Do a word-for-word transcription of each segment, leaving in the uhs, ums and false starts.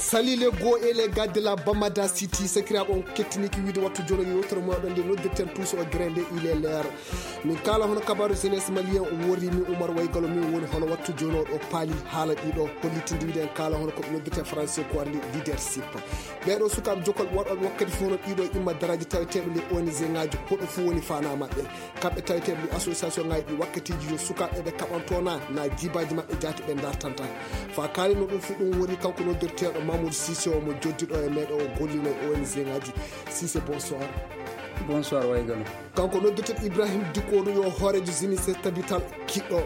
Salut les go et les gars de la Bamada City. Sakiraaɓe, on kettiniki wiide wattu jono yewtere mo ɗon nde noddirten tous au grain nde il est l'heure. Min kala hono kabaru jeunesse malien, o wori min Oumar Waygalo, min woni hono wattu jono ɗo paali haala ɗiɗo hollitinde wiide en kala hono ko ɓe noddirten français ko wari leadership. Ɓeɗo sukaaɓe jokol waɗoɓe wakkati fof hono ɗiɗo imma daraji taweteɓe les O N G ngaji, hoɗo fof woni fana maɓɓe. Kamɓe taweteɓe ɗi association ngaji ɗi wakkatiji yo sukaaɓe ɓe kaɓanto na, na jibaji maɓɓe jaati ɓe dartanta. Fa kalino ɗum fof ɗum woni kanko noddirteɗo Mamoudou Cissé o mo joddiɗo e meɗe o gollino e O N G ngaji. Cissé, bonsoir. Bonsoir, Waygalo. Kanko noddirteɗo Ibrahim Dikko ɗum yo hoorejo jeunesse tabital kiɗɗo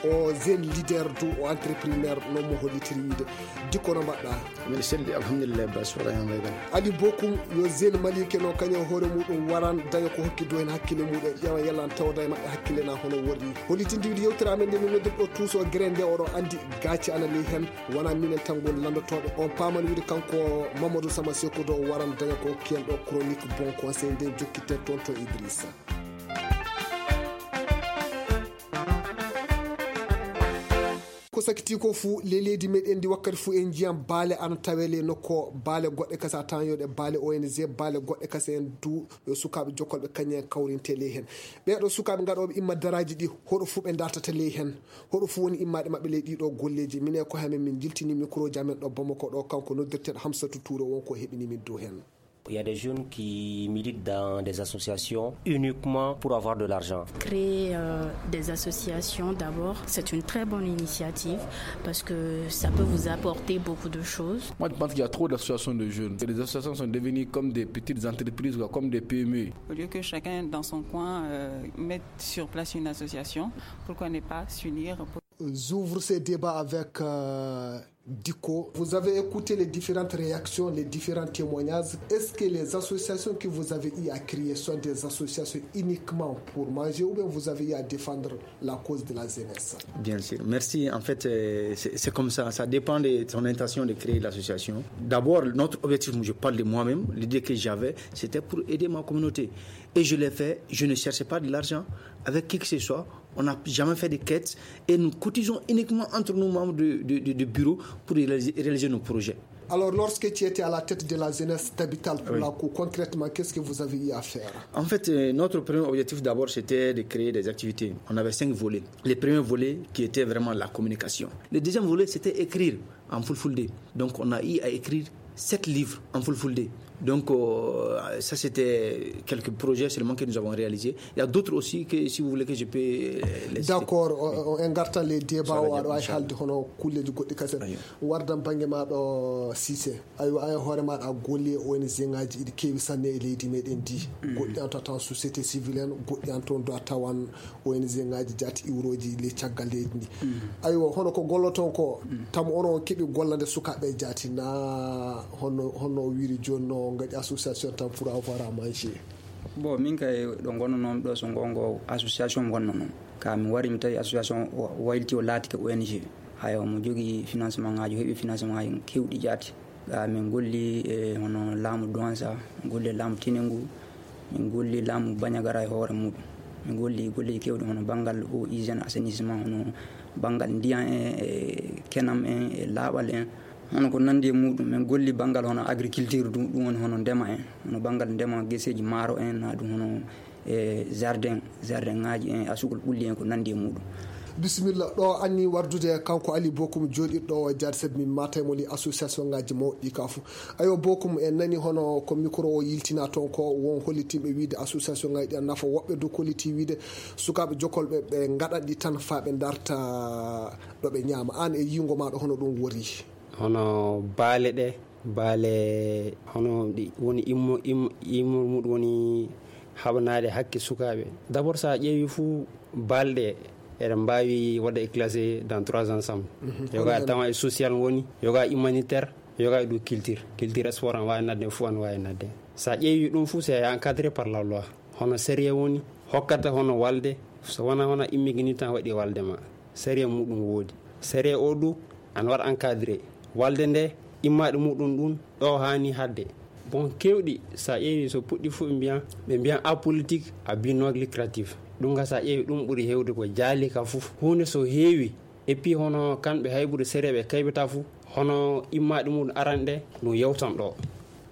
o jeune leader du o entrepreneur non mo hollitiri wiide. Dikko, no mbaɗɗa? Mbiɗa selli, alhamdulillah, bas wala hen Waygalo. Ali Bokum yo jeune malike no kañum e hoore muɗum waran daña ko hokki du hen hakkille muɗum e ƴeewa yalla an tawda e maɓɓe hakkille na hono worri. Hollitinde wiide yewtere amen nde min noddirɗo tous au grain nde oɗo andi gaaci ana ley hen. Wona minen tan ngoni lanndotooɓe. On paamani wiide kanko Mamadou Sama Sekou ɗo waran daña ko hokki en ɗo chronique bon conseil nde jokkiten toon to Idrissa. Ko sakiti ko fuu, ley leydi meɗen ndi wakkati fuu en njiyan baale ana tawe ley nokko, baale goɗɗe kasa tan yo ɗe baale O N G, baale goɗɗe kasa en du yo sukaaɓe jokkolɓe kañum en kawrinte ley hen. Ɓeeɗo sukaaɓe gaɗooɓe imma daraaji ɗi, hoɗo fuu ɓe dartata ley hen? Hoɗo fuu woni immaade maɓɓe ley ɗiɗo golleeji? Minen e koye amen min jiltini micro ji amen ɗo Bamako ɗo, kanko noddirteeɗo Hamsatou Touré won ko heɓini min dow hen. Il y a des jeunes qui militent dans des associations uniquement pour avoir de l'argent. Créer euh, des associations d'abord, c'est une très bonne initiative parce que ça peut vous apporter beaucoup de choses. Moi, je pense qu'il y a trop d'associations de jeunes. Et les associations sont devenues comme des petites entreprises, quoi, comme des P M E. Au lieu que chacun dans son coin euh, mette sur place une association, pourquoi ne pas s'unir pour... J'ouvre ce débat avec euh, Diko. Vous avez écouté les différentes réactions, les différents témoignages. Est-ce que les associations que vous avez eu à créer sont des associations uniquement pour manger ou bien vous avez eu à défendre la cause de la jeunesse? Bien sûr. Merci. En fait, euh, c'est c'est comme ça. Ça dépend de ton intention de créer l'association. D'abord, notre objectif, je parle de moi-même, l'idée que j'avais, c'était pour aider ma communauté. Et je l'ai fait. Je ne cherchais pas de l'argent avec qui que ce soit. On n'a jamais fait de quête et nous cotisons uniquement entre nous, membres de, de, de- de bureau, pour réaliser, réaliser nos projets. Alors, lorsque tu étais à la tête de la jeunesse d'Habital pour Oui. la Cour, concrètement, qu'est-ce que vous avez eu à faire? En fait, euh, notre premier objectif d'abord, c'était de créer des activités. On avait cinq volets. Le premier volet qui était vraiment la communication. Le deuxième volet, c'était écrire en fulfulde. Donc, on a eu à écrire sept livres en fulfulde. Donc, euh, ça, c'était quelques projets seulement que nous avons réalisés. Il y a d'autres aussi que, si vous voulez, que je peux euh, les citer. D'accord, o- o- en gartan ley débat o Inchallah, aɗa wawi inchallah. Haalde hono kulleji goɗɗi kasen. Ayo. Wardan bangge ma ɗo Cissé. Aywa, an e hoore maɗa a golli e O N G ngaji iɗi keewi sanne e leydi meɗen ndi. Goɗɗi an to a tawan société civile en, goɗɗi an toon do a tawan O N G ngaji jaati iwroji ley caggal leydi ndi. Aywa, hono ko golloton ko, tamu onon on keɓi gollande sukaaɓe jaati na? Honno honno o wiiri jooni no ngaɗi association tan pour avoir à manger? Bon, min kay ɗo ngonnonomi ɗo so ngongo association ngonnonomi, ka mi wari mi tawi association o wayliti o laatike O N G. Hayo, mo jogii financement ngaji, heɓi financement ngaji kewɗi jaati. Ga min golli e hono laamu Douansa, min golli e laamu Tinubu, min golli laamu Bandiagara e hoore muɗum. Min golli golleji kewɗi hono banngal eau, hygiène, assainissement, hono banngal ndiyan en, e kenam en, e laaɓal en. Hono ko nanndi e muɗum, min golli banngal hono agriculture, ɗum ɗum woni hono ndema en, hono banngal ndema geseeji maaro en, na ɗum hono e jardin, jardin ngaji en, asugol ɓulli en, ko nanndi e muɗum. Bisimilla, ɗo anni wardude kanko Ali Bokum jooɗiɗo o e jaade, sabi min matay mo li association ngaji mawɗi ka fof. Ayo Bokum, en nani hono ko micro o yiltina toon ko, won hollitinɓe wiide association ngaji ɗi ana nafa, woɓɓe du kolliti wiide sukaaɓe jokolɓe ɓe ngaɗat ɗi tan fa ɓe darta ɗo ɓe ñaama. An e yiingo maɗa hono ɗum wori? Hono baale ɗe, baale hono ɗi woni immo immo immo muɗum woni haɓanaade hakke sukaaɓe. D'abord, so a ƴeewi fuu, balɗe eɗen mbaawi waɗde e classé dans trois ensembles. Yoga tawa e social woni, yoga humanitaire, yoga e ɗo culture. Culture, sport, an waawi nadde, fof an waawi nadde. So a ƴeewi ɗum fof, c'est encadré par la loi. Hono sérieux woni hokkata hono walde, so wona hono immigrant tan waɗi walde ma. Sariya muɗum woodi. Sariya o du ana waɗa encadré. Walde nde, immaɗe muɗum ɗum ɗo haani hadde. Bon, kewɗi, sa ƴeewi so puɗɗi fof ɓe mbiyan, ɓe mbiyan apolitique, à but non lucratif. Ɗum ka sa ƴeewi ɗum ɓuri hewde ko jaali ka fof. Huunde so heewi, et puis hono kamɓe hay ɓuri sariya ɓe kaybata fof, Hono immaaɗe mum aranɗe ɗum yewtan ɗo.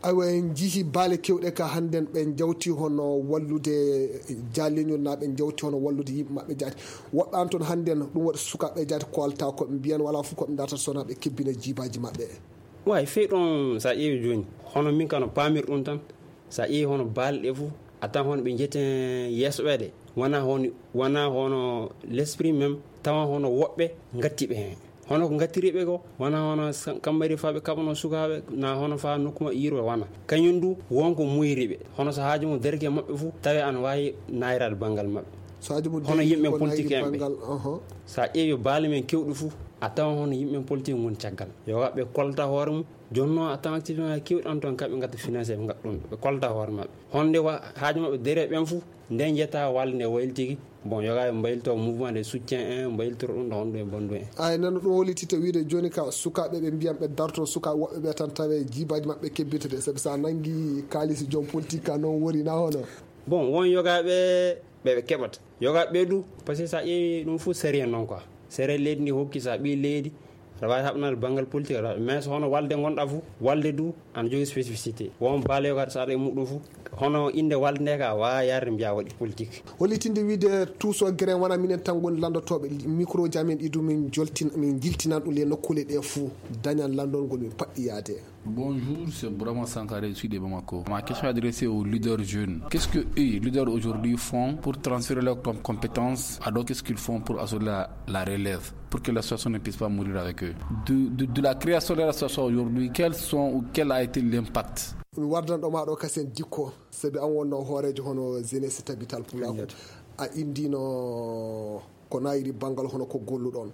Aywa, en njihii baale keewɗe ka hannden, ɓe njawti hono wallude jaalleñol, naa ɓe njawti hono wallude yimɓe maɓɓe jaati. Woɓɓe an toon hannden, ɗum waɗi sukaaɓe jaati koolta ko ɓe mbiyan, wala fof ko ɓe ndartata so wonaa ɓe kebbina jiibaaji maɓɓe. Way fey ɗon, so a ƴeewi jooni, hono min kano paamir ɗum tan, so a ƴeewi hono baale ɗe fof, a tan hono ɓe njeten yeeso ɓe de, wona hono, wona hono l'esprit même, tawa hono woɓɓe ngatti ɓe heen. Hono ko ngattiri ɓe ko, wona hono sa-, kammari fa ɓe kaɓano sukaaɓe, na hono fa nokku maɓɓe yirwa wona. Kañum du, won ko muyri ɓe. Hono so haaju mum derke maɓɓe fof, tawi ana waawi naayraade banngal maɓɓe. So haaju mum hono derke yimɓe ko politique naayri en ɓe. Banngal, aha. So a ƴeewi baale men keewɗi fof, a tawan hono yimɓe politique ngon caggal. Yo waɓɓe kolta hoore mum, jonno a tawan activement keewɗi an toon, kaɓe ngatta financé, ɓe ngatta ɗum, ɓe kolta hoore maɓɓe. Honde wa-, haaju maɓɓe dere ɓen fof, nden jetta walde nde waylitiki. Bon, yoga ɓe mbaylito mouvement de soutien en, mbaylitoro ɗum ɗo honɗum e bonɗum en. Ay, nano ɗum hollitita wiide jooni ka sukaaɓe ɓe mbiyan ɓe darto sukaaɓe woɓɓe ɓe tan tawe jiibaaji maɓɓe kebbita de, sabi sa nangi kaalisi joom politique ka noon woni na hono. Bon, won yoga ɓe, ɓe ɓe keɓata. Yoga ɓe du, parce que sa ƴeewi ɗum fof sérieux noon quoi. Sérieux leydi ndi hokki sa ɓii leydi, aɗa waawi haɓnaade banngal politique, aɗa waawi, mais so hono walde ngonɗa fof, walde du ana jogii spécificité. Won baale yoga so aɗa e muɗum fof, hono innde walde nde ka waawa yarde mbiya waɗi politique. Hollitinde wiide Touso Guérin wona minen tan ngoni lanndotooɓe micro ji amen ɗi du min joltin-, min jiltinan ɗum le nokkuule ɗe fof dañan lanndol ngol min paɗɗi yaade. Bonjour, c'est Bourama Sankaré, je suis de Bamako. Ma question est adressée aux leaders jeunes. Qu'est-ce que eux, leaders aujourd'hui, font pour transférer leurs com-, compétences à d'autres? Qu'est-ce qu'ils font pour assurer la, la relève, pour que l'association ne puisse pas mourir avec eux? De, de, de la création de l'association aujourd'hui, quels sont ou quel a été l'impact? Mi wardanɗo ma ɗo kasen Dikko, sabi an wonno hooreejo hono Jeunesse Tabital Pulaaku. A indino ko nayiri banngal hono ko golluɗon.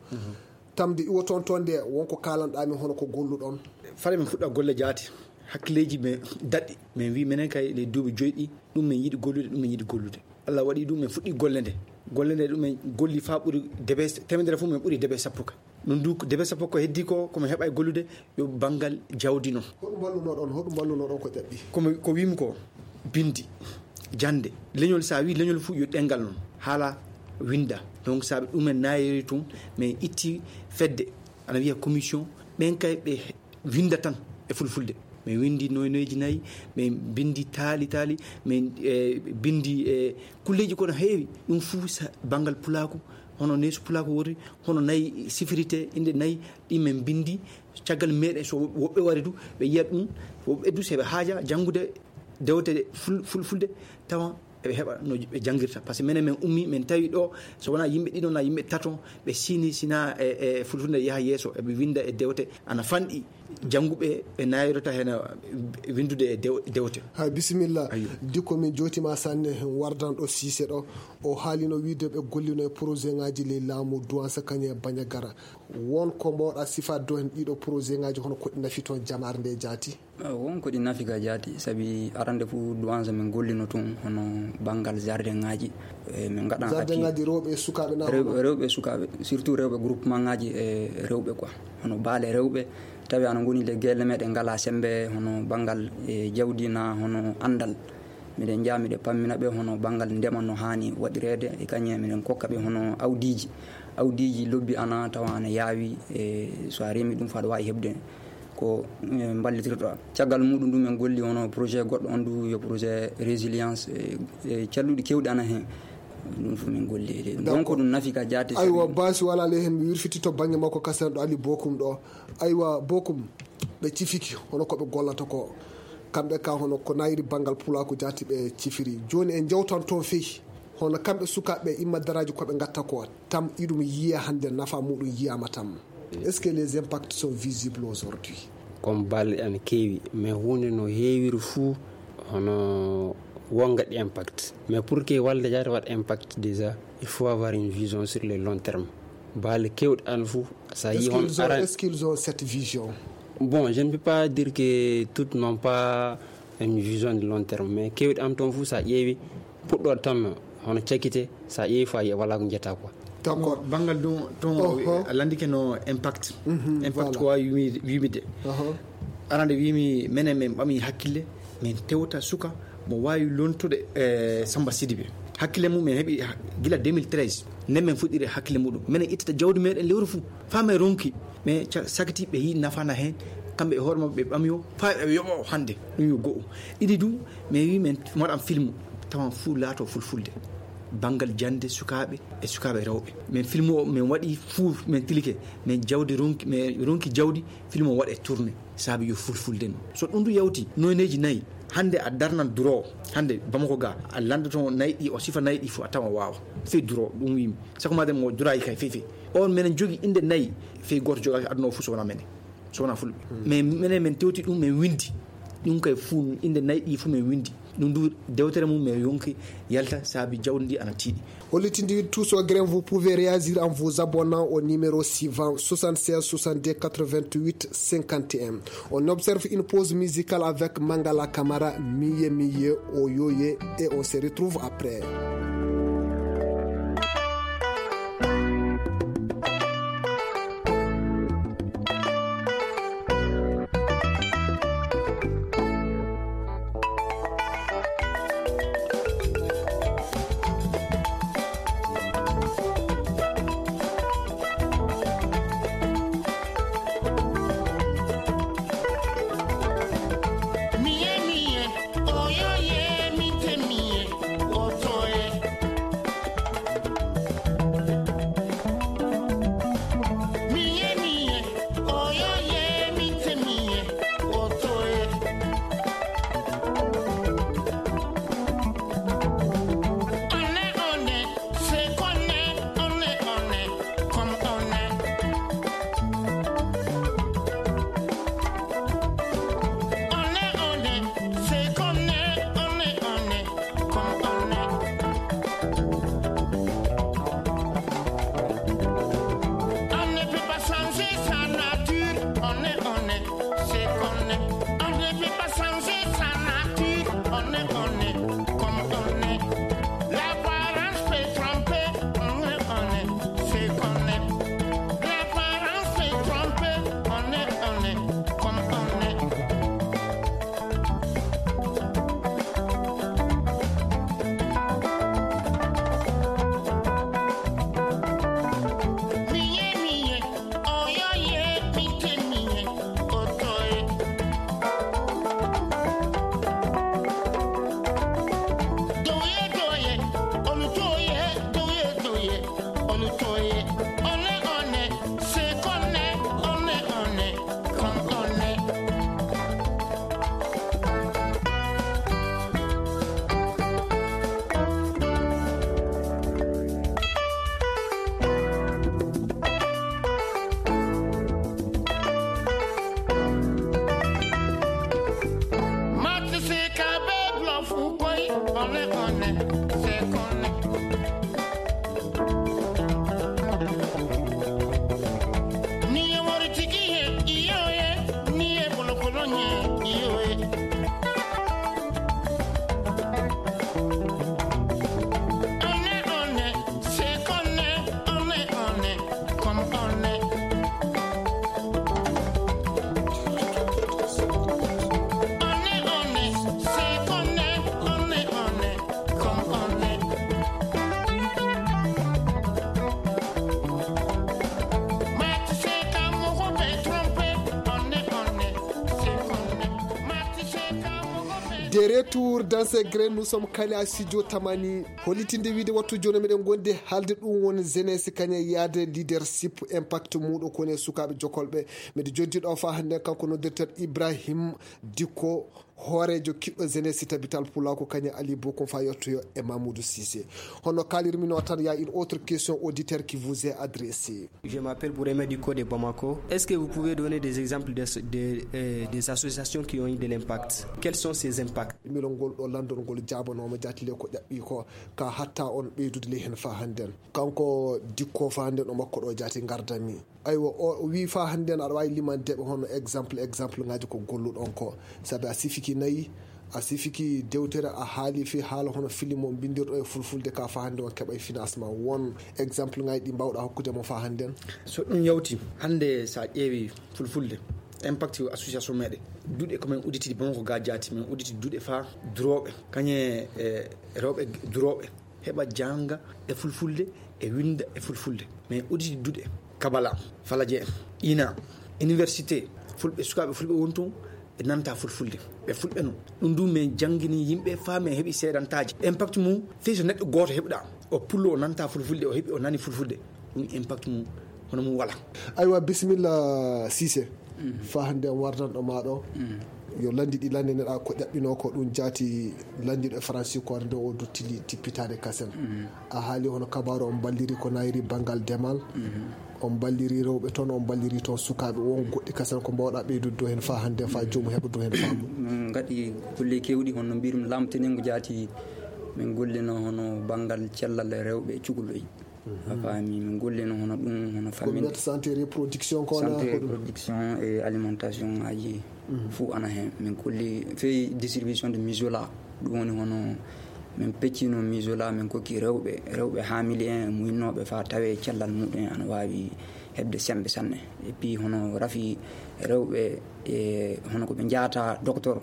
Tamde iwo toon toon nde wonko kaalanɗaa min hono ko golluɗon. Fale min fuɗɗa golle jaati, hakkileeji men daɗɗi. Min wi menen kay ley duuɓi joyi ɗi, ɗum min yiɗi gollude, ɗum min yiɗi gollude. Allah waɗi ɗum min fuɗɗi golle nde. Golle nde ɗum min golli faa ɓuri debe teemedere fof min ɓuri debe sappo ka. Ɗum du debe sappo ko heddi ko, ko min heɓa e gollude yo banngal jawdi noon. Hoɗum mballunoɗon, hoɗum mballunoɗon ko ƴaɓɓi? Ko mi, ko wimi ko bindi, jannde, leñol, so a wi leñol fof yo ɗemngal noon, haala, winnda. Donc so ɗumen naayiri tun, min itti fedde, ana wiya commission, ɓen kay ɓe winnda tan e fulfulde. Min winndi noynoyeeji nayi, min binndi taali taali, min, eh, binndi, eh, kulleeji kono heewi. Ɗum fof sa-, banngal pulaaku, hono neesu pulaaku woni, hono nayi sifirite, innde nayi, ɗi min binndi. Caggal meɗen, so woɓɓe wari du, ɓe yiya ɗum, woɓɓe du, so ɓe haaja janngude dewte ful-, fulfulde, tawa eɓe heɓa no ɓe janngirta. Par ce que minen, min ummi, min tawi ɗo, so wonaa yimɓe ɗiɗo naa yimɓe tato, ɓe sini, sina e, e fulfulde yaha yeeso, eɓe winnda e dewte, ana fanɗi jannguɓe, ɓe nayrota heen winndude e dew-, dewte. Hay bisimilla. Ayyo. Dikko, min jootima sanne, wardanɗo Siise ɗo, o haalino wiide ɓe gollino e projet ngaji ley laamu Duwansa Kañe Bañagara. Won ko mbawɗa sifaade ɗo heen ɗiɗo projet ngaji, hono ko ɗi nafi toon jamaare nde jaati? Ah, won ko ɗi nafi ka jaati, sabi arande fof Duwansa min gollino tun hono banngal jardin ngaji. E, min ngaɗan jardin ngaji rewɓe e sukaaɓe na rewɓe, hono? Rewɓe e sukaaɓe, surtout rewɓe groupement ngaji e rewɓe quoi. Hono baale rewɓe, tawi ana ngoni le gelle meɗen ngala sembe hono banngal e jawdi na hono anndal. Miɗen njaha, miɗen pammina ɓe hono banngal ndema no haani waɗireede, e kañum miɗen kokka ɓe hono awdiiji. Awdiiji lobbi ana tawa ana yaawi, e so a remi ɗum faa aɗa waawi heɓde ko, e, mballitirɗa. Caggal muɗum ɗum en golli hono projet goɗɗo on du, yo projet résilience, e, e calluɗi keewɗi ana heen. Ɗum fof min golli e leydi. D'accord. Donc ko ɗum nafi ka jaati. Aywa, sabi basi wala ley heen, mi wirfiti to bannge makko kasen ɗo Ali Bokum ɗo. Aywa, Bokum, ɓe cifiki hono ko ɓe gollata ko. Kamɓe ka hono ko nayiri banngal pulaaku jaati ɓe cifiri. Jooni en njewtan toon fey. Hono kamɓe sukaaɓe imma daraaji ko ɓe ngatta ko tam iɗum yiya hannde nafa muɗum yiyama tam. Est-ce que les impacts sont visibles aujourd'hui? Comme balle ana keewi, mais huunde no heewiri fuu hono wonga ɗi impact. Mais pour que walde jaati waɗa impact déjà, il faut avoir une vision sur le long terme. Balle keewɗe an fuu, sa Est-ce yi hon qu'ils ont, aran est-ce qu'ils ont cette vision? Bon, je ne peux pas dire que toutes n'ont pas une vision de long terme, mais keewɗe an toon fuu sa ƴeewi puɗɗoɗo tan hono cakkite, sa ƴeewi faa yiya wala ko njetta quoi. D'accord. Banngal ɗum toon, oho, a landike no impact. Mhm, impact voilà. Ko waawi wimi-, wimide. Oho. Arande wimi menen min ɓami hakkille, min tewta suka mo waawi lontude, eh, Samba Sidibé. Hakkille mum min heɓi ha-, gila deux mille treize. Nden min fuɗɗiri hakkille muɗum. Minen ittata jawdi meɗen lewru fuu. Faa min ronki. Mais ca-, sakiti ɓe yii nafaana heen, kamɓe e hoore maɓɓe ɓe ɓami o, faa ɓe yoɓa o hannde, ɗum yo go'o. Ɗiɗi du, mais wi men waɗan filmu, tawan fuu laato fulfulde. Banngal jannde sukaaɓe e sukaaɓe rewɓe. Men filmu o, men waɗi fuu, men tilike, men jawdi ronki, men ronki jawdi, filmu o waɗe tourné, saabi yo fulfulde no. So ɗum du yawti, noyneeji nayi, hannde a darnan duro, hannde Bamako ga, a lanndoto nayi ɗi, o sifa nayi ɗi fuu, a tawan o waawa. Fii duro, ɗum wimi. Sako maa den mo durayi kay fefe. On menen jogi inde nayi fii gooto jogaaki aduna o fuu so wonaa menen. So wonaa fulɓe. Mais menen men tewti ɗum men windi. Ɗum kay fuu inde nayi ɗi fuu men windi. Ɗum du dewtere mum men yonki yalta saabi jawdi ndi ana tiiɗi. Hollitinde tout ce grain, vous pouvez réagir en vous abonnant au numéro suivant, soixante-seize soixante-deux quatre-vingt-huit cinquante et un. On observe une pause musicale avec Mangala Kamara, Miye Miye, Oyoye, et on se retrouve après. De retour dans ces grains, nous sommes kala studio Tamani. Hollitinde wiide wattu jooni meɗen gondi haalde ɗum woni jeunesse kañe yaade leadership impact muɗo kone sukaaɓe jokolɓe. Miɗo joddi ɗo fa hannde kanko noddirten Ibrahim Dikko, hooreejo kiɗɗo jeunesse tabital pulako kañe Ali Bokum fa yottoyo e Mamoudou Cissé. Hono kaalirmi no tan, il y a une autre question auditeur qui vous est adressée. Je m'appelle Bourema Diko de Bamako. Est-ce que vous pouvez donner des exemples de, de, euh, des associations qui ont eu de l'impact? Quels sont ces impacts? Milongol ɗo landol ngol jaabanooma jaatile ko ƴaɓɓi ko ka hatta on ɓeydude ley heen fa hannden. Kanko Dikko fa hannden o makko ɗo jaati ngardami. Aywa, o, o wii fa hannden aɗa waawi limandeɓe hono exemple, exemple ngaji ko golluɗon ko. Sabi a sifiki nayi, a sifiki dewtere, a haali fii haala hono film o mbindirɗo e fulfulde ka fa hannde on keɓa e financement. Won exemple ngaji ɗi mbawɗa hokkude mo fa hannden? So ɗum yawti, hannde sa ƴeewi fulfulde, impact association meɗen, duɗe ko men udditidi Bamako ga jaati, men udditi duɗe fa durooɓe, kañe e rewɓe durooɓe, heɓa jannga e fulfulde, e winnda e fulfulde. Men udditi duɗe. Kabala, Falaje, Ina, université, fulɓe, sukaaɓe fulɓe woni toon, ɓe nanta fulfulde, ɓe fulɓe noon. Ɗum du min janngini yimɓe faa min heɓi seedantaaji. Impact mum, fii so neɗɗo gooto heɓɗa, o pullo o nanta fulfulde, o heɓi o nani fulfulde, ɗum impact mum, hono mum wala. Aywa, bisimilla, Cissé. Faa hannde en wardanɗo maa ɗo. Yo lanndi ɗi lanndinira ko ƴaɓɓinoo ko ɗum jaati lanndiiɗo e Faransi ko nde o dottili tippitaade kasen. A haali hono kabaaru on balliri ko nayri banngal demal. On balliri rewɓe toon, on balliri toon sukaaɓe. Won goɗɗi kasen ko mbaawɗa ɓeydude dow heen faa hannde faa joomum heɓa dow heen faamu? Min ngaɗi golle keewɗi, hono no mbirum lamtini ngu jaati. Min gollino hono banngal cellal rewɓe e cukalel. A faami, min gollino hono ɗum, hono ko famminde mbiyata santé reproduction ko wona santé hoɗum? Reproduction e alimentation aji fof ana heen. Min kolli fii distribution de mijola, ɗum woni hono min peccino mijola, min kokki rewɓe, rewɓe hamili en, muyinnooɓe faa tawee cellal muɗum en ana waawi heɓde semmbe sanne. Et puis hono rafi rewɓe e hono ko ɓe njaata docteur.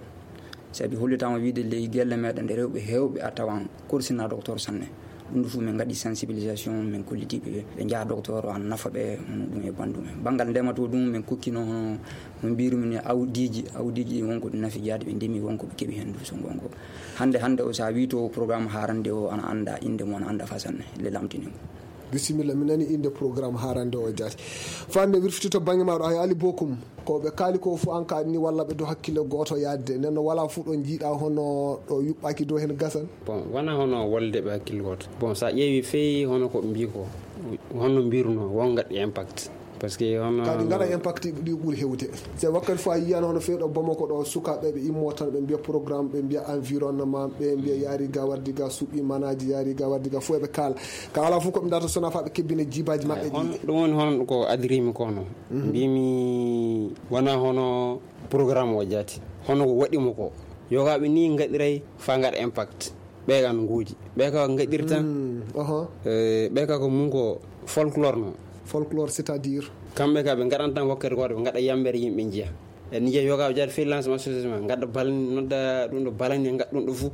Sabi hollitaama wiide ley gelle meɗen ɗe rewɓe heewɓe a tawan korsina docteur sanne. Ɗum ɗo fof min ngaɗi sensibilisation, min kolliti ɓe, ɓe njaha docteur, o ana nafa ɓe, hono ɗum e banndum en. Banngal ndema to ɗum, min kokkino hono no mbirumi ni awdiiji, awdiiji ɗi won ko ɗi nafi jaade ɓe ndemi, won ko ɓe keɓi heen du so ngongo. Hannde, hannde o, so a wii to programme haarande o, ana annda innde mum, ana annda faa sanne, le lamtini ngu. Bisimilla, mi nani innde programme haarande o jaati. Fande wirfiti to bannge maaɗo, ay Ali Bokum. Ko ɓe kaali ko fof an ka ni walla ɓe do hakkille gooto yaadde. Nden no wala fof ɗo njiiɗa hono ɗo yuɓɓaaki dow heen gasan. Bon, wona hono wolde ɓe hakkille gooto. Bon, so a ƴeewi fey hono ko ɓe mbii ko, hono mbirunoo, won ngaɗi impact. Parce que hono kadi ngaɗa impact ɗi ɓuri hewde. Se wakkati fof a yiyan hono fey ɗo Bamako ɗo sukaaɓe ɓe immo tan ɓe mbiya programme, ɓe mbiya environnement, ɓe mbiya yaari ga wardi ga suɓi manaaji, yaari ga wardi ga fof eɓe kaala. Ka ala fof ko ɓe ndata sona fa ɓe kebbina jibaji maɓɓe ɗi. Hono ɗum woni hono ko adirimi ko no. Mbimi wona hono programme o jaati. Hono ko waɗi mo ko. Yogaaɓe ni ngaɗiray fa ngaɗa impact. Ɓe kan nguuji. Ɓe ka ngaɗirta. Mm, oho. Eh, ɓe ka ko mun ko folklore no. Folklore, c'est-à-dire? Kamɓe ka ɓe ngaɗan tan wakkati gooto, ɓe ngaɗa yambere yimɓe njiya. E ni jeeyi yoga jaade freelance association ma, ngadda balani, nodda ɗum ɗo balani, ngadda ɗum ɗo fof.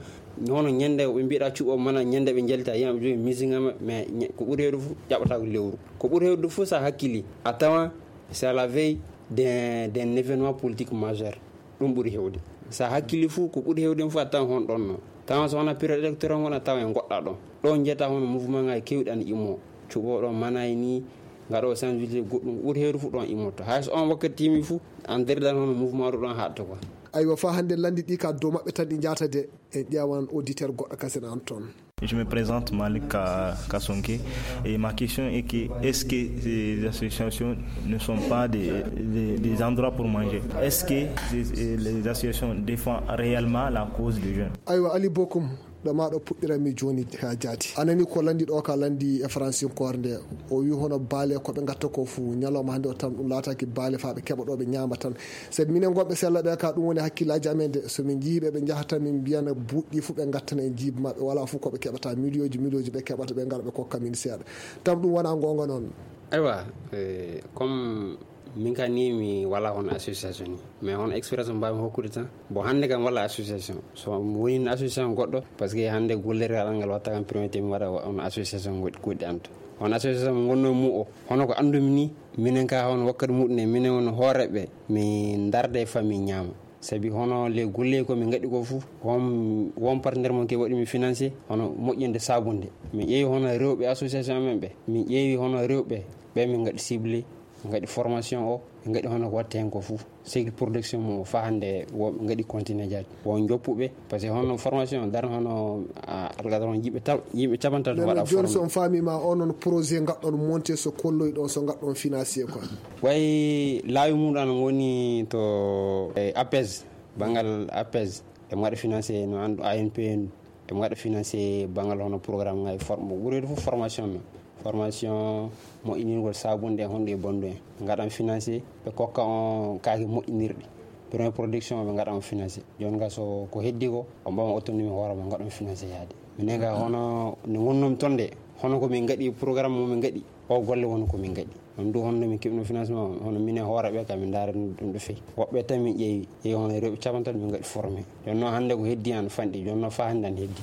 Hono ñande ɓe mbiɗa cuɓo mana ñande ɓe njalta yimɓe jogi musique ma, mais ñe-, ko ɓuri hewde fof ƴaɓata ko lewru. Ko ɓuri hewde fof sa hakkili, a tawa c'est à la veille d'un, d'un événement politique majeur. Ɗum ɓuri hewde. Sa hakkili fof, ko ɓuri hewde fof a tawa hon ɗon no. Tawa so wona période électoral wona tawa en goɗɗa ɗon. Ɗon jeyata hono mouvement ngaji kewɗi ana immo. Cuɓo ɗon mana e ni, ngaɗo sensibilisé goɗɗum, ko ɓuri hewde fof ɗon immotto. Hay so on wakkati timi fof, an daridan hono mouvement ɗo ɗon haɗta quoi. Aywa, fa hannde lanndi ɗi ka dow maɓɓe tan ɗi njahata de, en ƴeewan auditeur goɗɗo kasen an toon. Je me présente Malik Ka-, Kasonke et ma question est que est-ce que ces associations ne sont pas des, des, des endroits pour manger? Est-ce que ces, les associations défendent réellement la cause des jeunes? Aywa, Ali Bokum, ɗo ma ɗo puɗɗiranmi jooni ha jaati. A nani ko lanndi ɗo ka lanndi e faransinkoore nde. O wi hono baale ko ɓe ngatta ko fu ñalawma hannde o tan ɗum laataki baale fa ɓe keɓa ɗo ɓe ñaama tan. Sabi minen gonɓe sella ɓe ka ɗum woni hakkillaaji amen de. So min njii ɓe, ɓe njaha tan min mbiyana buuɗi fu ɓe ngattana en jiiba maɓɓe. Wala fu ko ɓe keɓata miliyooji, miliyooji ɓe keɓata ɓe ngara ɓe kokka min seeɗa. Tam ɗum wona goonga noon. Aywa, eh, comme min ka ni mi wala hono association ni. Mais hono expérience mo mbawmi hokkude tan. Bon, hannde kam wala association. So mi woni association goɗɗo, parce que hannde gollirgal an ngal watta kam priorité mi waɗa hono association goɗɗi, goɗɗi an to. Hono association mo ngonno mu o, hono ko anndumi ni, minen ka hono wakkati muɗum en, minen woni hooreɓe, mi darda e famille ñaama. Sabi hono les golle ko min ngaɗi ko fof, won, won partenaire mon ke waɗi mi financé, hono moƴƴinde sabunde. Min ƴeewi hono rewɓe association amen ɓe. Min ƴeewi hono rewɓe ɓe min ngaɗi ciblé, min ngaɗi formation o, min ngaɗi hono ko watta hen ko fof. Cycle production mo fa hannde wo ngaɗi continué jaaj. Won joppuɓe, parce que hono formation o darna hono, a, algadar on yimɓe taw, yimɓe capantato waɗa jooni formé. So on faami ma on, on projet ngaɗɗon monté so kolloy ɗon, so ngaɗɗon financé quoi. Way laawi muɗum ana woni to, e, APES, banngal APES, e mo waɗa financé no anndu A N P N, e mo waɗa financé banngal hono programme ngaji form-, ɓurɗo fof formation no. Formation moƴƴinirgol sabunde e honɗe e bandu en. Ɓe ngaɗan financé, ɓe kokka on kaake moƴƴinirɗe. Premier production ɓe ngaɗa on financé. Jooni ga so ko heddi ko, on mbawa autonomie hoore ma ngaɗa on financé yaade. Minen ga hono nde ngonnomi toon nde, hono ko min ngaɗi programme mo min ngaɗi, o golle woni ko min ngaɗi. On du hono min keɓno financement, hono minen hoore ɓe ka min ndaara ɗum ɗo fewi. Woɓɓe tan min ƴeewi, ƴeewi hono rewɓe capantato min ngaɗi formé. Jooni noon hannde ko heddi an fanɗi, jooni noon fa hannde an heddi.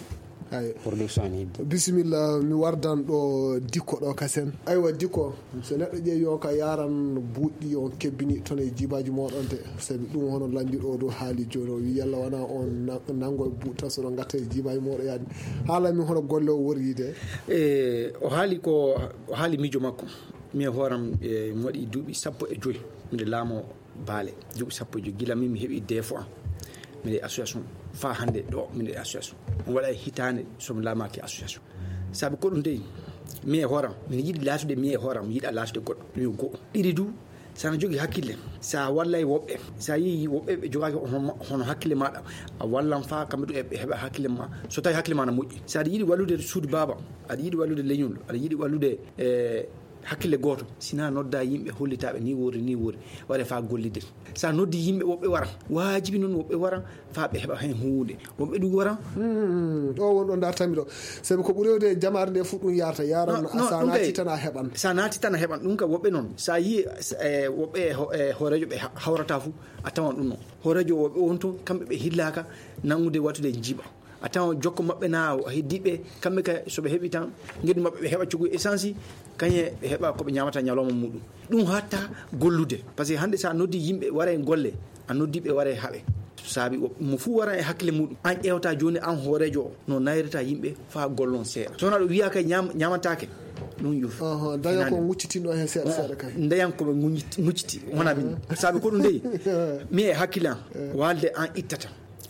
Production hidde. Bisimilla, mi wardan ɗo Dikko ɗo kasen. Aywa, Dikko, so neɗɗo ƴeewi on ka yaran buuɗi on kebbini toon e jibaji moɗon de, sabi ɗum hono lanndi ɗo ɗo haali jooni, o wi yalla wana on na-, nango e buuɗi tan so ɗon gatta e jibaji moɗo yaade. Haala min hono golle o wori de. E, o haali ko, o haali miijo makko. Mi e hooram, e, mi waɗi duuɓi sappo e joy. Miɗo laamo Baale, duuɓi sappo e joy, gila min mi heɓi defo am. Miɗo e association, faa hannde ɗo, miɗo e association. On waɗa e hitaande, so mi laamaaki association. Sabu ko ɗum dey, mi e hooram, miɗo yiɗi laatude mi e hooram, mi yiɗa laatude goɗɗo, ɗum yo go'o. Ɗiɗi du, so a jogii hakkille, so a wallay woɓɓe, so a yii woɓɓe ɓe jogaaki hono, hono hakkille maaɗa, a wallan faa kamɓe du ɓe heɓa hakkille ma. So tawi hakkille ma na moƴƴi. So aɗa yiɗi wallude suudu baaba, aɗa yiɗi wallude leñol, aɗa yiɗi wallude, e, hakkille gooto, sina nodda yimɓe hollitaaɓe ni woori, ni woori, waɗe faa gollide. So a noddi yimɓe, woɓɓe wara. Waajibi noon woɓɓe wara faa ɓe heɓa heen huunde. Woɓɓe ɗum wara. Hmm, ɗo won ɗo ndartami ɗo. Sabi ko ɓuri wewde e jamaare nde fof ɗum yarata. Yaran. No, no, so a ɗum naati kay tan a heɓan. So a naati tan a heɓan. Ɗum ka woɓɓe noon. So a yii, e, woɓɓe e ho-, e hooreejo ɓe ha-, hawrata fof, a tawan ɗum noon. Hooreejo woɓɓe on toon, kamɓe ɓe hillaaka nanngude wattude jiba. A tawan jokko maɓɓe na o heddiiɓe, kamɓe kay so ɓe heɓi tan, ngeddu maɓɓe ɓe heɓa coggu essence, kañe ɓe heɓa ko ɓe ñaamata ñalawma muɗum. Ɗum hatta gollude. Par ce que hannde so a noddi yimɓe wara e golle, a noddi ɓe wara e haɓe. Saabi o, mo fuu wara e hakkille muɗum. An ƴeewta jooni an hooreejo o, no nayrata yimɓe faa gollon seeɗa. So wonaa ɗum wiyaa kay ñaam-, ñaamantaake. Ɗum yo. Oho, daña ko finaani. Nguccitino heen seeɗa seeɗa kay. Dañan ko ɓe nguñit-, ngucciti, wonaa min. Saabi ko ɗum dey, mi e hakkille an, walde an ittata.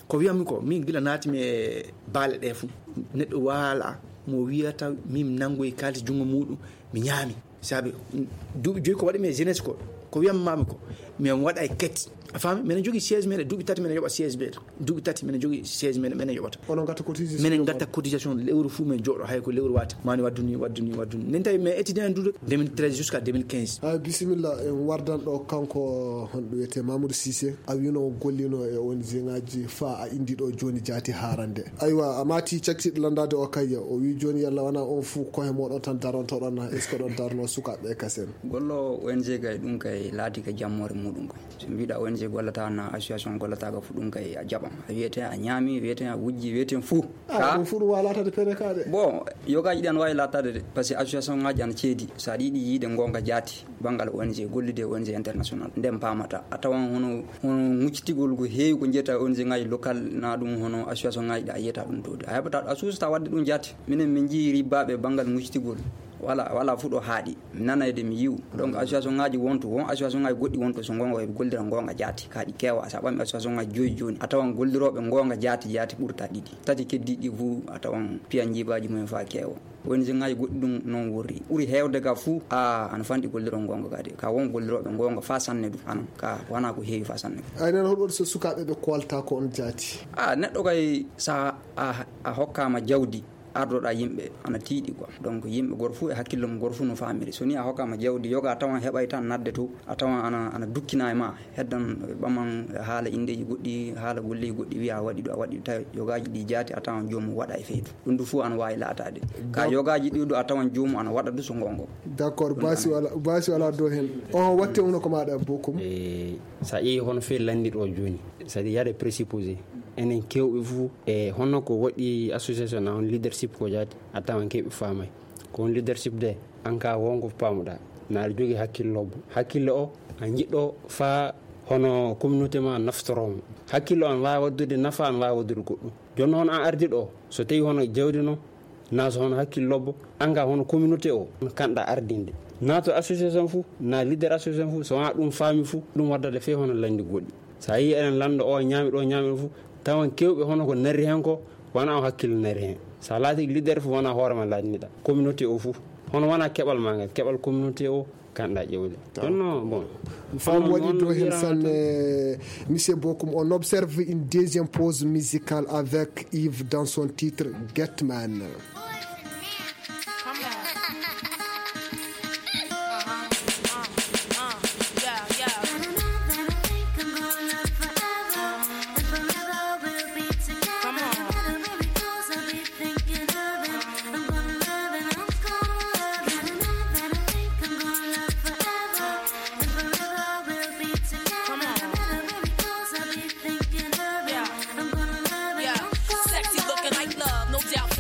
Ko wiyatmi ko, min gila naatimi e baale ɗe fof, neɗɗo waala mo wiyata min nanngoyi kaalis junngo muɗum, mi ñaami. Saabi, mm, duuɓi joyi ko waɗimi e jeunesse ko, ko wiyatmi ko, min waɗa e kati. A faami? Minen jogii siège men, duuɓi tati minen yoɓa siège men. Duuɓi tati minen jogii siège men, minen yoɓata. Onon ngatta cotisation? Minen ngatta cotisation, lewru fof min jooɗo, hay ko lewru wata. Mani waddu ni, waddu ni, waddu ni. Nen tawi min étudiant duuɗo deux mille treize jusqu'à deux mille quinze. Ah, bisimilla, en wardan ɗo kanko, honɗo wiyetee Mamadou Cissé. A wiino o gollino e O N G ngaji faa a indi ɗo jooni jaati haarande. Aywa, a maati cakkiɗo landaade o kay, o wi jooni yalla wona on fuu kohe moɗon tan darontoɗon na, est-ce que ɗon darno sukaaɓe kasen? Gollo O N G kay ɗum kay laati ka jammoore muɗum kay. So mbiɗa O N G gollata na association gollata ka fu ɗum kay a jaɓan. A wiyete a ñaami, wiyete a wujji, wiyete fuu. Ah, ka ɗum fuu ɗum wawa laatade pene ka de. Bon, yogaaji ɗi ana wawi laatade de, par ce que association ngaji ana ceedi. So aɗa yiɗi yiide ngonga jaati, banngal O N G, gollude O N G international. Nden paamata. A tawan hono, hono ŋuccitigol ko heewi ko njiyata O N G ngaji local, na ɗum hono association ngaji ɗi a yiyata ɗum to de. A heɓata, a suusata wadde ɗum jaati. Minen min njii ribbaaɓe banngal ŋuccitigol. Wala, wala fu ɗo haaɗi. Mi nanayde mi yiw. Donc association ngaji wonto, won association ngaji goɗɗi wonto so ngonga ɓe gollira ngonga jaati. Ka ɗi keewa, sa ɓami association ngaji joyi jooni. A tawan gollirooɓe ngonga jaati, jaati ɓurta ɗiɗi. Tati keddiɗi fu, a tawan piya njibaji mumen fa keewa. O N G ngaji goɗɗi ɗum noon worri. Ɓuri heewde ka fu, a, ana fanɗi golliroo ngonga ka de. Ka won gollirooɓe ngonga fa sanne du, anan. Ka wana ko heewi fa sanne. Ay, nen hoɗo waɗi so sukaaɓe ɓe koolta ko on jaati? A, neɗɗo kay sa a, a hokkaama jawdi, ardoɗa yimɓe ana tiiɗi quoi. Donc yimɓe gor fu e hakkille mum, gor fu no famiri. So ni a hokkaama jawdi, yoga a tawan heɓay tan nadde to, a tawan ana, ana dukkina e ma, heddan ɓaman haala indeji goɗɗi, haala golleji goɗɗi, wiya a waɗi ɗo, a waɗi ɗo, tawi yogaji ɗi jaati, a tawan joomum waɗa e feydu. Ɗum du fu ana wawi laatade. Ka yogaji ɗi du a tawan joomum ana waɗa du so ngongo. D'accord, basi wala, basi wala do hen. O watte hono ko maɗa bokum. E, sa ƴeewi hono fe lanndi ɗo jooni, c'est-à-dire y a des présupposés. Enen kewɓe fu, e, hono ko waɗi association na on leadership ko jaati, a tawan kewɓe faamay. Ko on leadership de, an ka wonko pamuɗa. Na aɗa jogii hakkille lobbo. Hakkille o, a jiɗɗo fa hono communauté ma naftoromo. Hakkille o, an wawi waddude nafa, an wawi waddude goɗɗum. Jooni noon an ardi ɗo, so tawi hono jawdi noon, na so hono hakkille lobbo, an ka hono communauté o, kanɗa ardinde. Na to association fu, na leader association fu, so wona ɗum faami fu, ɗum waddata fe hono lanndi goɗɗi. So a yii eɗen lanndo o ñaami ɗo, ñaami ɗo fu, tawan kewɓe hono ko nari hen ko, wona o hakkille nari hen. So a laati leader fu, wona hoore ma laatiniɗa. Communauté o fu, hono wona keɓal ma ngal, keɓal communauté o, kanɗa ƴewde. Jonno, bon. Fam waɗi do hen sanne, monsieur Bokum. On observe une deuxième pause musicale avec Yves dans son titre Getman. Come on. Uh-huh. Uh, uh, yeah, yeah. Come on. Come on. Yeah. Yeah. Sexy looking like love, no doubt.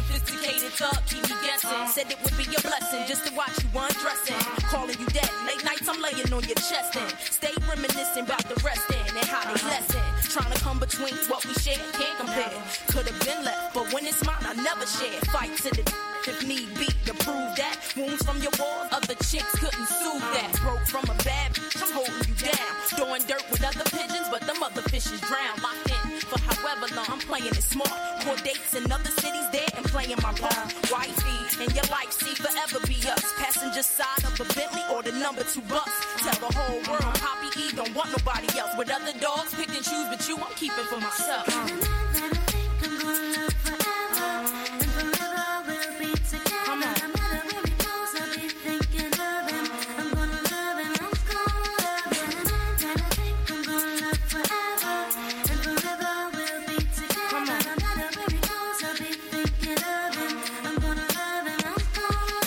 Said it would be a blessing just to watch you undressing. Calling you daddy. Late nights I'm laying on your chest and stay reminiscing about the rest and, and how they lesson. Trying to come between what we share, can't compare. Could have been left, but when it's mine, I never share. Fight to the if need be to prove that. Wounds from your wars, other chicks couldn't soothe that. Broke from a bad bitch, I'm holding you down. Throwing dirt with other pigeons, but them other fishes drown. Locked in for however long, I'm playing it smart. Court dates in other cities, there and playing my part. Wifey and your life, see, forever be us. Passenger side of a Bentley or the number two bus. Tell the whole world, Poppy E don't want nobody else. With other dogs, pick and choose, but you I'm keeping for myself.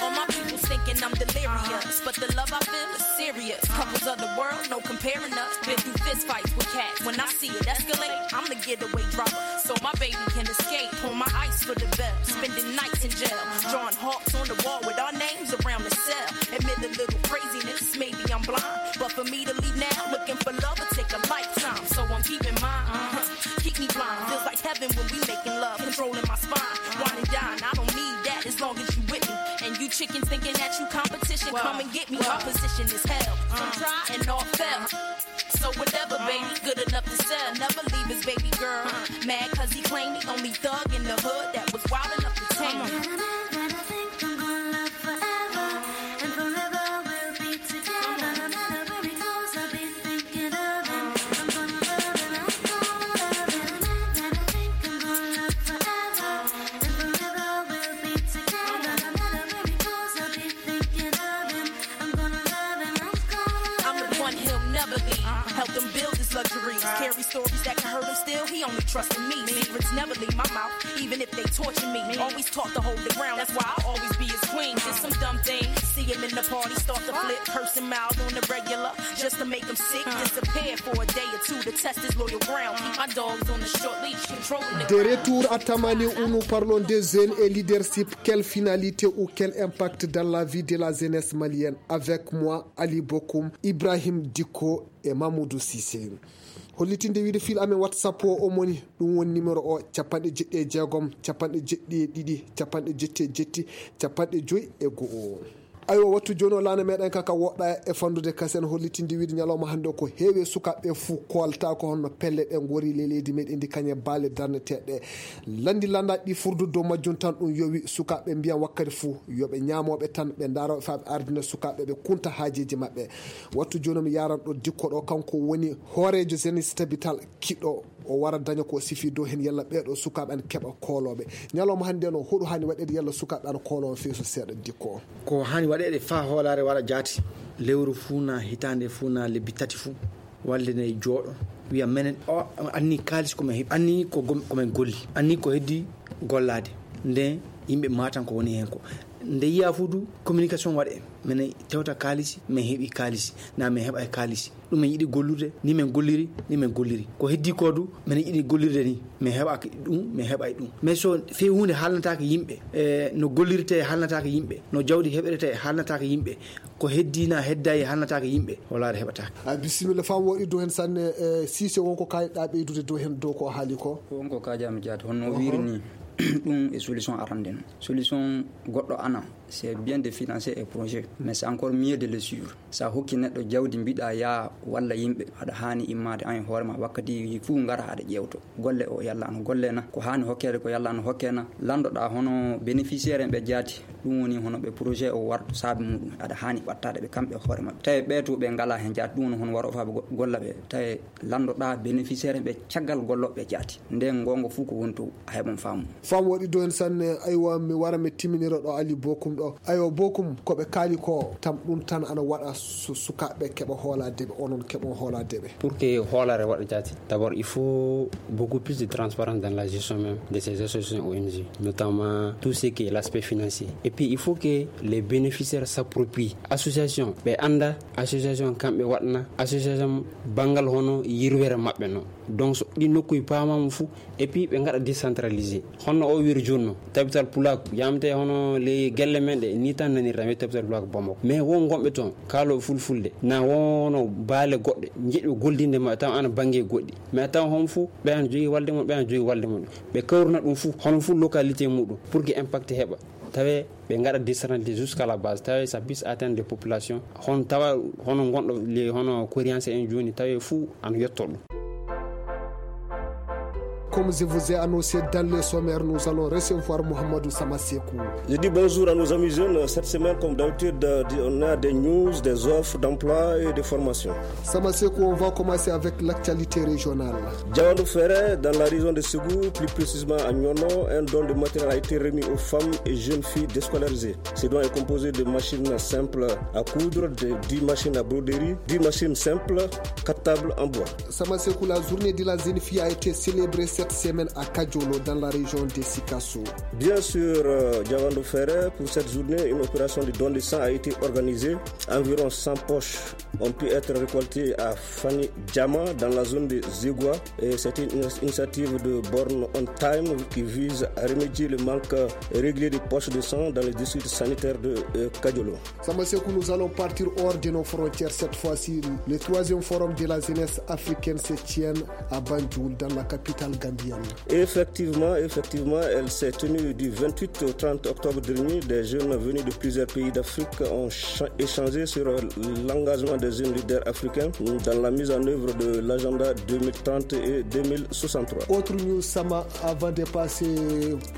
All my people thinking I'm delirious, but the love I feel is serious. Couples of the world, no comparing us. Been through fist fights with cats. When I see it escalate, I'm the getaway driver, so my baby can escape. Pull my ice for the bell, spending nights in jail. Drawing hearts on the wall with our names around the cell. Admit a little craziness, maybe I'm blind, but for me to leave now, looking for love will take a lifetime. So I'm keeping mine, uh-huh. Keep me blind, feels like heaven when we making love. Controlling my spine, wine and dine. I don't need that as long as you with me. And you chickens thinking that you competition, come and get me. My position is hell. Some try and all fell. So whatever, baby, good enough to sell. Never leave his baby girl. Mad cause he claimed he only thug in the hood that was wild enough to tame me. I'm the one he'll never leave. Help them build his luxuries. Carry stories that can hurt him still. He only trusting me. Secrets never leave my mouth, even if they torture me. Always taught to hold the ground. That's why I'll always be his queen. Did some dumb things. See him in the party, start to flip. Curse him out on the regular, just to make him sick. Disappear for a day or two to test his loyal ground. Keep my dogs on the short leash, controlling the De retour à Tamani, où nous parlons des jeunes et leadership. Quelle finalité ou quel impact dans la vie de la jeunesse malienne? Avec moi, Ali Bokoum, Ibrahim Dicko et Mamoudou Cissé. Hollitinde wiide fil amen WhatsApp o, o moni, ɗum woni numéro o, capanɗe jeɗɗi e jeegom, capanɗe jeɗɗi e ɗiɗi, capanɗe jetti e jetti, capanɗe joyi e go'o. Aywa, wattu jooni o laana meɗen ka, ka woɗɗa e fandude kasen, hollitinde wiide ñalawma hannde o ko heewi e sukaaɓe fuu koolta ko honno pelle ɗe ngori ley leydi meɗen ndi, kañe baale darneteeɗe. Lanndi lannda ɗi furdu dow majjum tan ɗum yowi sukaaɓe mbiyan wakkati fuu yo ɓe ñaamooɓe tan, ɓe ndaarooɓe faa ɓe ardina sukaaɓe ɓe kunta haajeeji maɓɓe. Wattu jooni mi yaaran ɗo Dikko ɗo, kanko woni hooreejo Jeunesse Tabital Kiɗo. O wara daña ko sifi dow heen, yalla ɓeeɗo sukaaɓe ana keɓa koolooɓe. Ñalawma hannde noon, hoɗum haani waɗeede yalla sukaaɓe ana kooloo feeso seeɗa, Dikko? Ko haani waɗeede faa hoolaare waɗa jaati, lewru fuu naa hitaande fuu naa lebbi tati fuu, walde ne jooɗo, wiya menen o anni kaalis ko men heɓi, anni ko gom-, ko men golli, anni ko heddi gollaade. Nden yimɓe maatan ko woni heen ko. Nde yiya fuu du communication waɗe, menen tewta kaalisi, men heɓi kaalisi, naa men heɓa e kaalisi. Ɗum men yiɗi gollude, ni men golliri, ni men golliri. Ko heddi ko du, men yiɗi gollirde ni, men heɓaki ɗum, men heɓay ɗum. Mais so fii huunde haalnataake yimɓe, e no gollirtee haalnataake yimɓe, no jawdi heɓretee haalnataake yimɓe, ko heddi na heddayi haalnataake yimɓe, hoolaare heɓataake. A bisimilla, faamu waɗi dow heen sanne, e Siise, wonko kaaliɗaa ɓeydude dow heen, dow ko o haali ko? Wonko kaajaa mi jaati, honno o wiiri ni, ɗum e solution arande non. Solution goɗɗo ana, c'est bien de financer un projet, mais c'est encore mieux de le suivre. Sa hokki neɗɗo jawdi, mbiɗa yaa walla yimɓe, aɗa haani immaade an e hoore ma wakkati fuu ngara aɗa ƴeewto golle o yalla ano golle na, ko haani hokkeede ko yalla ano hokke na. Landoɗaa hono bénéficiaire en ɓe jaati, ɗum woni hono ɓe projet o warto saabi muɗum, aɗa haani ɓattaade ɓe kamɓe hoore maɓɓe. Tawi ɓe to ɓe ngalaa heen jaati, ɗum woni hono waro faa ɓe go-, golla ɓe. Tawi landoɗaa bénéficiaire en ɓe caggal gollooɓe jaati. Nden goonga fuu ko woni to a heɓan faamu. Faamu waɗi dow heen sanne, aywa, mi wara mi timminira ɗo Ali Bokum ɗo. Aywa, Bokum, ko ɓe kaali ko tam ɗum tan ana waɗa su-, sukaaɓe keɓa hoolaade ɓe, onon keɓon hoolaade ɓe. Pour que hoolaare waɗa jaati, d'abord, il faut beaucoup plus de transparence dans la gestion même de ces associations O N G, notamment tout ce qui est l'aspect financier. Et puis, il faut que les bénéficiaires s'approprient association, ɓe annda association kamɓe waɗna association banngal hono yirwere maɓɓe no. Donc so ɗi nokkuy paamaama fuu, et puis ɓe ngaɗa décentralisé. Honno o wiyri jooni no, tabital pulaaku yamte hono ley gelle men ɗe, ni tan nanirta mi tabital pulaaku Bamako. Mais won gonɓe toon, kaalooɓe fulfulde, na wono baale goɗɗe, njeɗi gollidinde ma, tawa ana bannge goɗɗi. Mais a tawa hon fuu, ɓe ana jogii walde mum, ɓe ana jogii walde mum. Ɓe kawruna ɗum fuu, hono fuu localité muɗum, pour que impact heɓa. Tawe ɓe ngaɗa décentralisé jusqu'à la base, tawe ça puisse atteindre les populations. Hon tawa hono gonɗo le, hono Korianse en jooni, tawe fuu ana yetto ɗum. Comme je vous ai annoncé dans les sommaires, nous allons recevoir Mohamedou Samasekou. Je dis bonjour à nos amis jeunes. Cette semaine, comme d'habitude, euh, on a des news, des offres d'emploi et des formations. Samasekou, on va commencer avec l'actualité régionale. Diawandou Ferré, dans la région de Ségou, plus précisément à Nyono, un don de matériel a été remis aux femmes et jeunes filles déscolarisées. Ce don est composé de machines simples à coudre, de dix machines à broderie, dix machines simples, quatre tables en bois. Samasekou, la journée de la jeune fille a été célébrée cette semaine à Kadjolo, dans la région de Sikasso. Bien sûr, euh, Diawandou Ferré, pour cette journée, une opération de don de sang a été organisée. Environ cent poches ont pu être récoltées à Fani Djama, dans la zone de Zegua. Et c'est une initiative de Born on Time qui vise à remédier le manque régulier de poches de sang dans les districts sanitaires de, euh, Kadjolo. Samasekou, nous allons partir hors de nos frontières cette fois-ci. Le troisième forum de la jeunesse africaine se tient à Banjul, dans la capitale gambienne. Effectivement, effectivement, elle s'est tenue du vingt-huit au trente octobre dernier. Des jeunes venus de plusieurs pays d'Afrique ont cha-, échangé sur, euh, l'engagement des jeunes leaders africains dans la mise en œuvre de l'agenda deux mille trente et deux mille soixante-trois. Autre news, Sama, avant de passer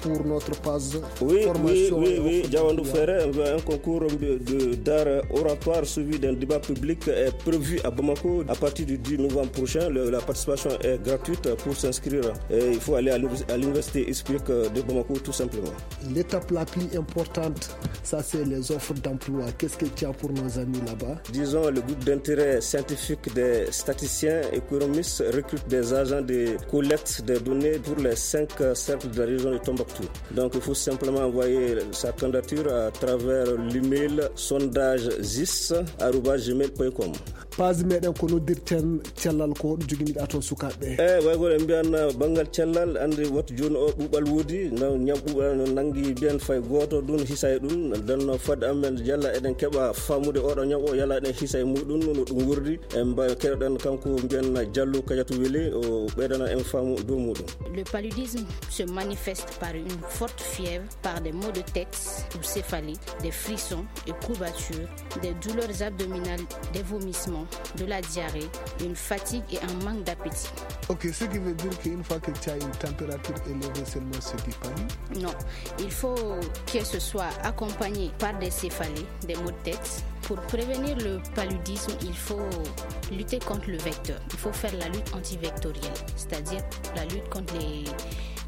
pour notre page. Oui, oui, formation oui, et oui, offre Diawandou d'emploi. Ferré, un concours de, de, d'art oratoire suivi d'un débat public est prévu à Bamako à partir du dix novembre prochain. Le, la participation est gratuite. Pour s'inscrire, euh, il faut aller à l'univers-, à l'université Explique, euh, de Bamako, tout simplement. L'étape la plus importante, ça c'est les offres d'emploi. Qu'est-ce que tu as pour nos amis là-bas ? Disons, le groupe d'intérêt scientifique des statisticiens économistes recrute des agents de collecte des données pour les cinq, euh, cercles de la région de Tombouctou. Donc, il faut simplement envoyer sa candidature à travers l'email sondage zis arobase gmail point com. Page meɗen ko noddirten cellal, ko joginiɗa toon sukaaɓe? Eyi, way ko en mbiyan, uh, banngal cellal, anndi wattu jooni o ɓuuɓal woodi, na-, ñaw ɓuuɓal no nanngi mbiyan fay gooto ɗum hisa e ɗum, ɗon no fadde amen yalla eɗen keɓa faamude oɗo ñaw o, yalla eɗen hisa e muɗum, no ɗum wordi, en mba-, keɗoɗen kanko mbiyan Diallo Kadiatou Wele, o ɓeydana en faamu dow muɗum. Le paludisme se manifeste par une forte fièvre, par des maux de tête ou céphalée, des frissons et courbatures, des douleurs abdominales, des vomissements, de la diarrhée, une fatigue et un manque d'appétit. Ok, ce qui veut dire qu'une fois que tu as une température élevée seulement, c'est du palu ? Non, il faut que ce soit accompagné par des céphalées, des maux de tête. Pour prévenir le paludisme, il faut lutter contre le vecteur. Il faut faire la lutte antivectorielle, c'est-à-dire la lutte contre les,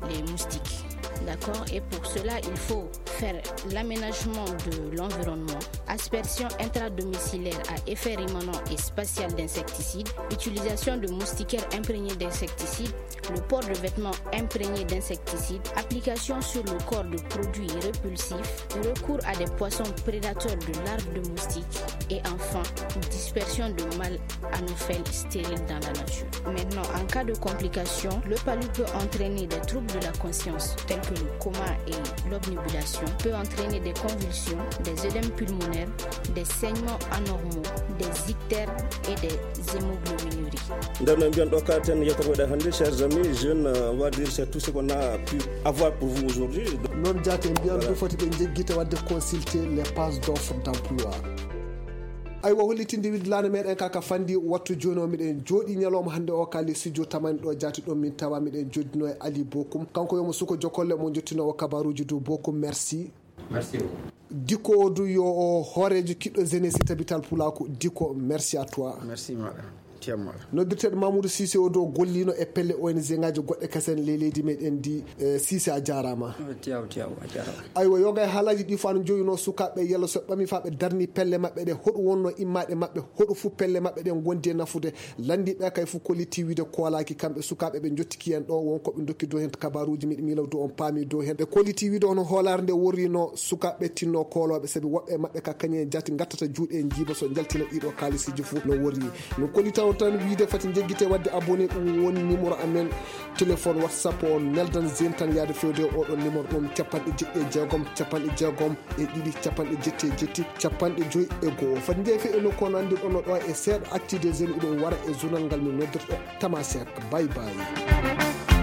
les moustiques. D'accord ? Et pour cela, il faut faire l'aménagement de l'environnement, aspersion intradomiciliaire à effet rémanent et spatial d'insecticides, utilisation de moustiquaires imprégnés d'insecticides, le port de vêtements imprégnés d'insecticides, application sur le corps de produits répulsifs, recours à des poissons prédateurs de larves de moustiques et enfin dispersion de mâles anopheles stériles dans la nature. Maintenant, en cas de complication, le palu peut entraîner des troubles de la conscience tels que le coma et l'obnubilation, peut entraîner des convulsions, des œdèmes pulmonaires, des saignements anormaux, des ictères et des hémoglobinuries. Nder no mbiyan ɗo ka ten yewtere meɗen hannde, chers amis jeunes, euh, on va dire c'est tout ce qu'on a pu avoir pour vous aujourd'hui. Noon jaati en mbiyan, voilà, ɗum foti ɓe njeggita waɗde consulter les pages d'offres d'emploi. Aywa, hollitinde wiɗlaande meɗen ka ka fandi wattu jooni o, miɗen jooɗi ñalawma hannde o ka le studio tamani ɗo jaati ɗo min tawa miɗen joddino e Ali Bokum. Kanko yomo suko jokolle mo jottinowo kabaruji du Bokum. Merci. Merci beaucoup. Diko o du yo o hooreejo kiɗɗo jeunesse tabital pulaaku. Diko, merci à toi. Merci maɗa. Tiyam maɗa. Noddirteɗo Mamoudou Cissé o do gollino e pelle O N G ngaji goɗɗe kasen ley leydi meɗen ndi. Eh, Cissé, a jaaraama. Tiyaw, tiyaw, a jaaraama. Aywa, yoga e haalaaji ɗi fano joyino sukaaɓe yalla so ɓami fa ɓe darni pelle maɓɓe ɗe, hoɗum wonno immaɗe maɓɓe, hoɗo fu pelle maɓɓe ɗen gondi e nafude. Lanndiiɓe kay fof kolliti wiide koolaaki kamɓe sukaaɓe ɓe njottiki en ɗo, won ko ɓe ndokki dow heen kabaruuji, miɗo miila dow on paami dow heen. Ɓe kolliti wiide hono hoolaare nde worri no sukaaɓe tinno koolooɓe, sabi woɓɓe e maɓɓe ka kañum en jaati ngattata juuɗe e njiiba so njaltina ɗiɗo kaalisiiji fof no worri. No kollita o Tan wiide fati jeggite wadde abonné, ɗum woni numéro amen téléphone WhatsApp o. Neldan Zen tan yaade fewde oɗon numéro ɗum: capanɗe jeɗɗi e jeegom capanɗe jeegom e ɗiɗi capanɗe jetti e jetti capanɗe joyi e go'o. Fati jeefe e nokku on anndirɗon no ɗo e seeɗa actu des jeunes iɗum wara e journal ngal min noddirta Tamasek. Bye bye.